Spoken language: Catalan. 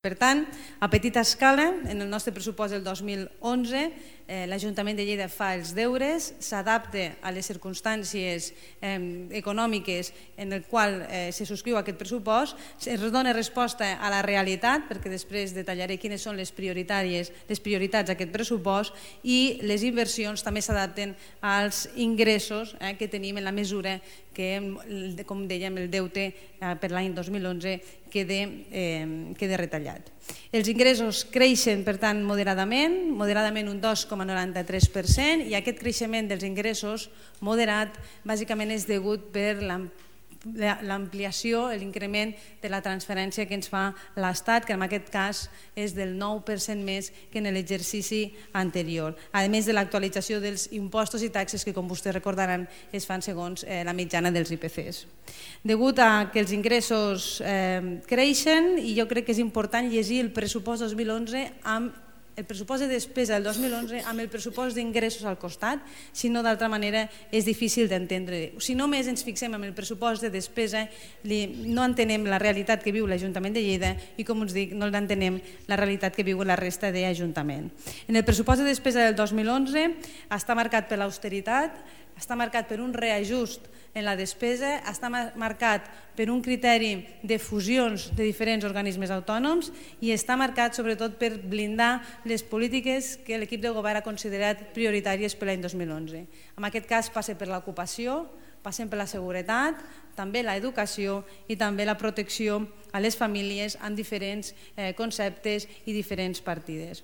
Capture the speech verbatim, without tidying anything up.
Per tant, a petita escala, en el nostre pressupost del dos mil onze, eh, l'Ajuntament de Lleida fa els deures, s'adapta a les circumstàncies eh, econòmiques en el qual eh, se subscriu aquest pressupost, es dona resposta a la realitat, perquè després detallaré quines són les prioritàries, les prioritats d'aquest pressupost, i les inversions també s'adapten als ingressos eh, que tenim en la mesura que, com dèiem, el deute eh, per l'any dos mil onze queda, eh, queda retallat. Els ingressos creixen, per tant, moderadament, moderadament un dos coma noranta-tres per cent, i aquest creixement dels ingressos moderat bàsicament és degut per l'ampliació, l'increment de la transferència que ens fa l'Estat, que en aquest cas és del nou per cent més que en l'exercici anterior, a més de l'actualització dels impostos i taxes que, com vostès recordaran, es fan segons la mitjana dels I P Cs. Degut a que els ingressos creixen, i jo crec que és important llegir el pressupost dos mil onze amb el pressupost de despesa del dos mil onze amb el pressupost d'ingressos al costat, si no d'altra manera és difícil d'entendre. Si només ens fixem en el pressupost de despesa no entenem la realitat que viu l'Ajuntament de Lleida i, com us dic, no entenem la realitat que viu la resta d'Ajuntament. En el pressupost de despesa del dos mil onze està marcat per l'austeritat, està marcat per un reajust en la despesa, està marcat per un criteri de fusions de diferents organismes autònoms i està marcat sobretot per blindar les polítiques que l'equip de govern ha considerat prioritàries per l'any dos mil onze. En aquest cas passa per l'ocupació, passem per la seguretat, també l'educació i també la protecció a les famílies amb diferents conceptes i diferents partides.